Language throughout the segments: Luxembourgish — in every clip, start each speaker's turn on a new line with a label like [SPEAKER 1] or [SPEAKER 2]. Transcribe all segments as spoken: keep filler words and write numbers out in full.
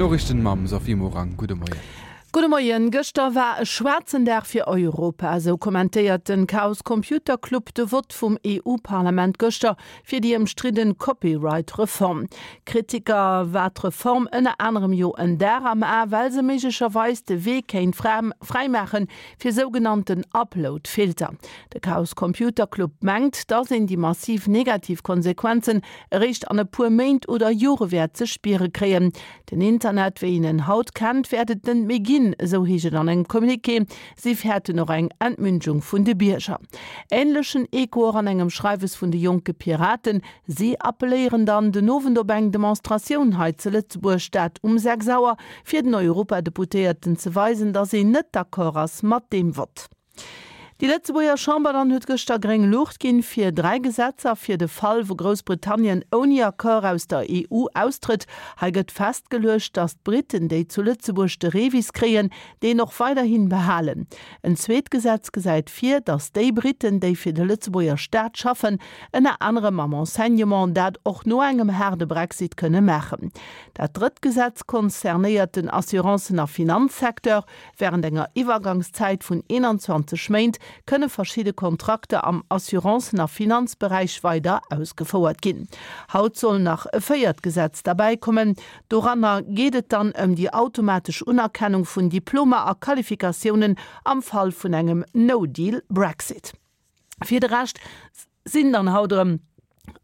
[SPEAKER 1] D'Noriichten mam Sophie Morang. Gudde Moien.
[SPEAKER 2] Gudde Moien. Gëschter war e schwaarzen Dag fir Europa, esou kommentéiert den Chaos Computer Club de Vott vum EU-Parlament gëschter fir déi ëmstridden Copyright-Reform. Kritiker war d'Reform ënner anerem jo en Dar am A, well se méiglecherweis de Wee kéint fräimaache fir sougenannten Upload-Filter. De Chaos Computer Club mengt, datt een déi massiv negativ Konsequenzen eréischt an e puer Méint oder Jore wäert ze spiere kréien. Den Internet, wéi een en haut kennt, wäert et net méi ginn, esou heescht et an engem Communiqué. Si fäerten och eng Entmündigung vun de Bierger. Änlechen Echo och an engem Schreiwes vun de Jonke Piraten. Si appelléieren dann den Owend op eng Demonstratioun hei ze Lëtzebuerg, dat um sechs Auer, fir den Europadeputéierten ze weisen, datt een net d'accord ass mat deem Vott. Déi Lëtzebuerger Chamber dann huet gëschter gréng Luucht ginn fir dräi Gesetzer fir de Fall, wou Groussbritannien ouni Accord aus der E U austrëtt. Hei gëtt festgeluecht, datt d'Britten, déi zu Lëtzebuerg de REVIS kréien, deen och weiderhin behalen. En zweet Gesetz gesäit vir, datt déi Britten, déi fir de Lëtzebuerger Staat schaffen, ënner anerem am Enseignement, dat och no engem haarde Brexit kënne maachen. Dat drëtt Gesetz concernéiert den Assurancen a Finanzsecteur. Wärend enger Iwwergangszäit vun eenanzwanzeg Méint kënne verschidde Kontrakter am Assurancen a Finanzberäich weider ausgefouert ginn. Haut soll nach e véiert Gesetz derbäi kommen. Doranner geet et dann ëm déi automatesch Unerkennung vun Diplomer a Qualifikatiounen am Fall vun engem No-Deal-Brexit. Fir de Rescht sinn dann haut erëm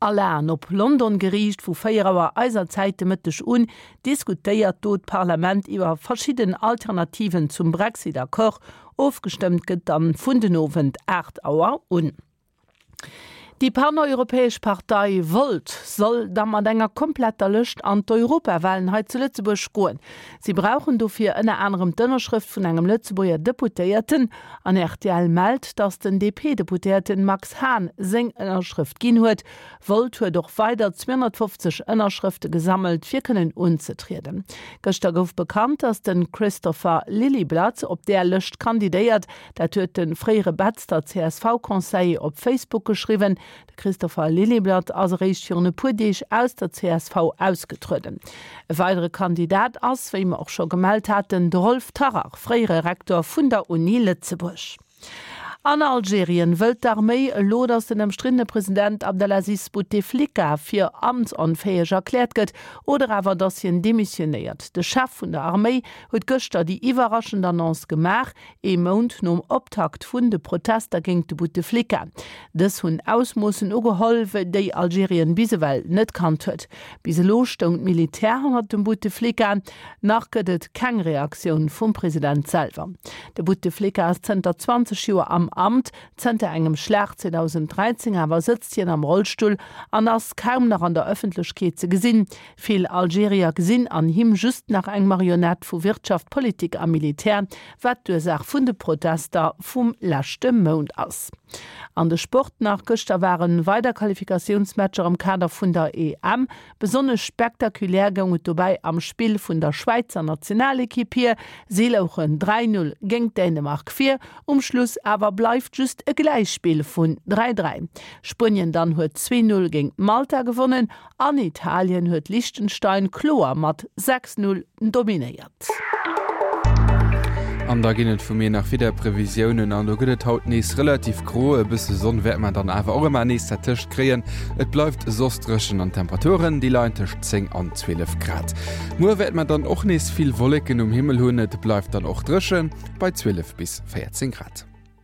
[SPEAKER 2] all Aen op London geriicht. Vu véier Auer eiser Zäit de Mëtteg un diskutéiert do d'Parlament iwwer verschidden Alternativen zum Brexit-Accord. Ofgestëmmt gëtt dann vun den Owend aacht Auer un. Déi paneuropäesch Partei Volt soll da mat enger kompletter Lëscht an d'Europawalen hei zu Lëtzebuerg goen. Si brauchen dofir ënner anerem d'Ënnerschrëft vun engem Lëtzebuerger Deputéierten. An R T L mellt, datt den D P-Deputéierten Max Hahn seng Ënnerschrëft ginn huet. Volt huet och weider zweehonnertfofzeg Ënnerschrëfte gesammelt, fir kënnen unzetrieden. Gëschter gouf bekannt, datt de Christopher Lilyblad op där Lëscht kandidéiert. Dat huet de fréiere Betzder C S V-Conseiller op Facebook geschriwwen. De Christopher Lilyblad ass eréischt virun e puer Deeg aus der C S V ausgetrueden. E weidere Kandidat ass, wéi mer och scho gemellt haten, de Rolf Tarrach, fréiere Rektor vun der Uni Lëtzebuerg. An Algerien wëllt d'Arméi elo, datt den ëmstriddene President Abdelaziz Bouteflika fir amtsonfäeg erkläert gëtt oder awer datt hien demissionéiert. De Chef vun der Arméi huet gëschter déi iwwerraschend Annonce gemaach, ee Mount nom Optakt vun de Protester géint de Bouteflika. Dës hunn Ausmoossen ugeholl, déi Algerien bis ewell net kannt huet. Bis elo stoung d'Militär hannert dem Bouteflika, nach gëtt et keng Reaktioun vum President selwer. De Bouteflika ass zënter zwanzeg Joer am Amt, zënter engem Schlag zweedausend dräizéng awer sëtzt hien am Rollstull an ass kaum nach an der Ëffentlechkeet ze gesinn. Vill Algerier gesinn an him just nach eng Marionett vu Wirtschaft, Politik a Militär, wat d'Ursaach vun de Protester vum leschte Mount ass. An de Sport nach: Gëschter ware weider Qualifikatiounsmatcher am Kader vun der E M. Besonnesch spektakulär goung et dobäi am Spill vun der Schwäizer Nationalekipp hier. Si louchen dräi Null géint Dänemark vir, um Schluss awer bleift just e Gläichspill vun dräi dräi. Spuenien dann huet zwee Null géint Malta gewonnen an Italien huet Liechtenstein kloer mat sechs Null dominéiert.
[SPEAKER 1] An da ginn et vu mir nach Wiederprevisiounen an do gëtt et haut nees relativ gro, e bësse Sonn wäert mer dann awer och ëmmer nees dertëscht kréien. Et bleift soss dréchen an d'Temperaturen déi leien tëscht zéng an zwielef Grad. Muer wäert mer dann och nees vill Wolleken um Himmel hunn, et bleift dann och dréchen bei zwielef bis véierzéng Grad.